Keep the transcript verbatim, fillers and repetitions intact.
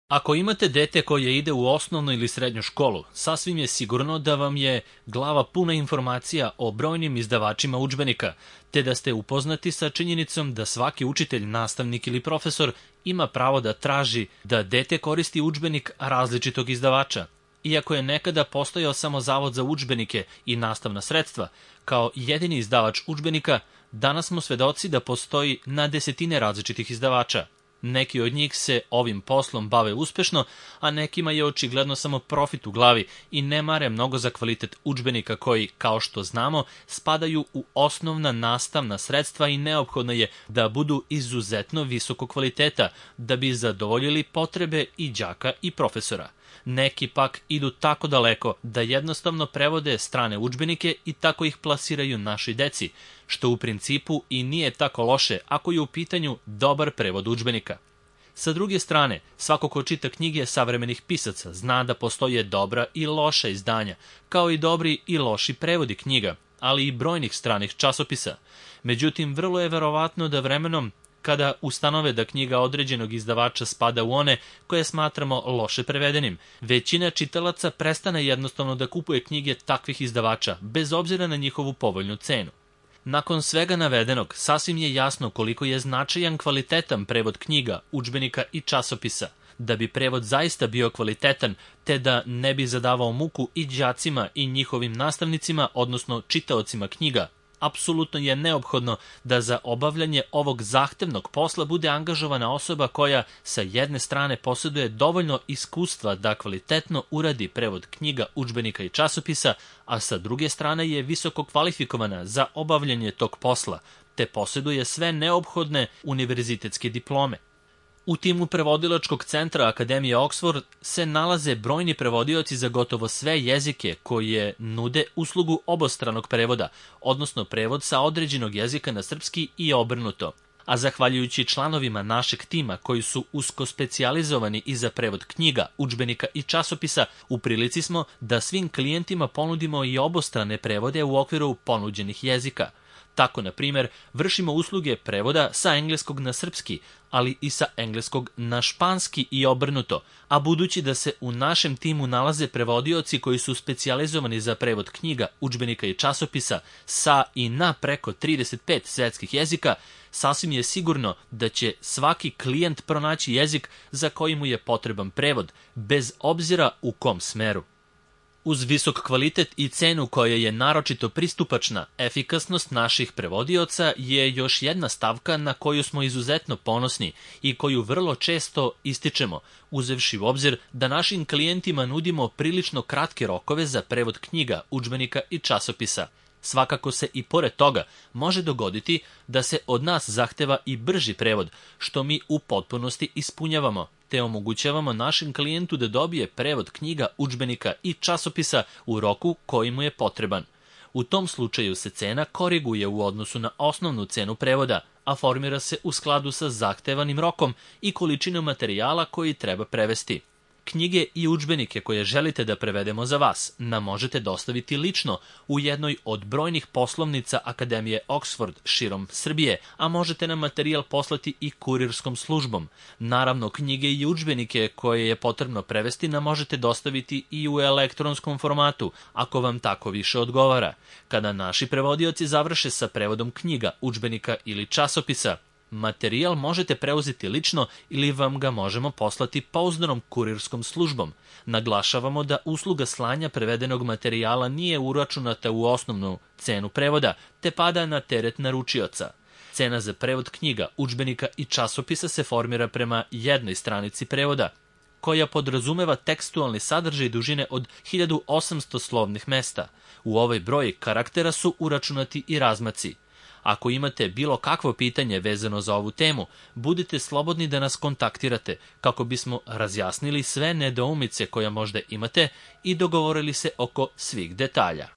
Ako imate dete koje ide u osnovnu ili srednju školu, sasvim je sigurno da vam je glava puna informacija o brojnim izdavačima udžbenika, te da ste upoznati sa činjenicom da svaki učitelj, nastavnik ili profesor ima pravo da traži da dete koristi udžbenik različitog izdavača. Iako je nekada postojao samo Zavod za udžbenike i nastavna sredstva, kao jedini izdavač udžbenika, danas smo svedoci da postoji na desetine različitih izdavača. Neki od njih se ovim poslom bave uspešno, a nekima je očigledno samo profit u glavi i ne mare mnogo za kvalitet udžbenika koji, kao što znamo, spadaju u osnovna nastavna sredstva i neophodno je da budu izuzetno visokog kvaliteta da bi zadovoljili potrebe i đaka i profesora. Neki pak idu tako daleko da jednostavno prevode strane udžbenike i tako ih plasiraju našoj deci, što u principu i nije tako loše ako je u pitanju dobar prevod udžbenika. Sa druge strane, svako ko čita knjige savremenih pisaca zna da postoje dobra i loša izdanja, kao i dobri i loši prevodi knjiga, ali i brojnih stranih časopisa. Međutim, vrlo je verovatno da vremenom, kada ustanove da knjiga određenog izdavača spada u one koje smatramo loše prevedenim, većina čitalaca prestane jednostavno da kupuje knjige takvih izdavača, bez obzira na njihovu povoljnu cenu. Nakon svega navedenog, sasvim je jasno koliko je značajan kvalitetan prevod knjiga, udžbenika i časopisa. Da bi prevod zaista bio kvalitetan, te da ne bi zadavao muku i đacima i njihovim nastavnicima, odnosno čitaocima knjiga, apsolutno je neophodno da za obavljanje ovog zahtevnog posla bude angažovana osoba koja sa jedne strane posjeduje dovoljno iskustva da kvalitetno uradi prevod knjiga, udžbenika i časopisa, a sa druge strane je visoko kvalifikovana za obavljanje tog posla, te posjeduje sve neophodne univerzitetske diplome. U timu prevodilačkog centra Akademije Oxford se nalaze brojni prevodioci za gotovo sve jezike koje nude uslugu obostranog prevoda, odnosno prevod sa određenog jezika na srpski i obrnuto. A zahvaljujući članovima našeg tima koji su usko specijalizovani i za prevod knjiga, udžbenika i časopisa, u prilici smo da svim klijentima ponudimo i obostrane prevode u okviru ponuđenih jezika. Tako, na primjer, vršimo usluge prevoda sa engleskog na srpski, ali i sa engleskog na španski i obrnuto, a budući da se u našem timu nalaze prevodioci koji su specijalizovani za prevod knjiga, udžbenika i časopisa sa i na preko trideset pet svetskih jezika, sasvim je sigurno da će svaki klijent pronaći jezik za koji mu je potreban prevod, bez obzira u kom smeru. Uz visok kvalitet i cenu koja je naročito pristupačna, efikasnost naših prevodioca je još jedna stavka na koju smo izuzetno ponosni i koju vrlo često ističemo, uzevši u obzir da našim klijentima nudimo prilično kratke rokove za prevod knjiga, udžbenika i časopisa. Svakako se i pored toga može dogoditi da se od nas zahteva i brži prevod, što mi u potpunosti ispunjavamo, te omogućavamo našem klijentu da dobije prevod knjiga, udžbenika i časopisa u roku koji mu je potreban. U tom slučaju se cena koriguje u odnosu na osnovnu cenu prevoda, a formira se u skladu sa zahtevanim rokom i količinom materijala koji treba prevesti. Knjige i udžbenike koje želite da prevedemo za vas nam možete dostaviti lično u jednoj od brojnih poslovnica Akademije Oxford širom Srbije, a možete nam materijal poslati i kurirskom službom. Naravno, knjige i udžbenike koje je potrebno prevesti nam možete dostaviti i u elektronskom formatu, ako vam tako više odgovara. Kada naši prevodioci završe sa prevodom knjiga, udžbenika ili časopisa, materijal možete preuzeti lično ili vam ga možemo poslati pouzdanom kurirskom službom. Naglašavamo da usluga slanja prevedenog materijala nije uračunata u osnovnu cenu prevoda, te pada na teret naručioca. Cena za prevod knjiga, udžbenika i časopisa se formira prema jednoj stranici prevoda, koja podrazumeva tekstualni sadržaj dužine od hiljadu osamsto slovnih mesta. U ovaj broj karaktera su uračunati i razmaci. Ako imate bilo kakvo pitanje vezano za ovu temu, budite slobodni da nas kontaktirate kako bismo razjasnili sve nedoumice koje možda imate i dogovorili se oko svih detalja.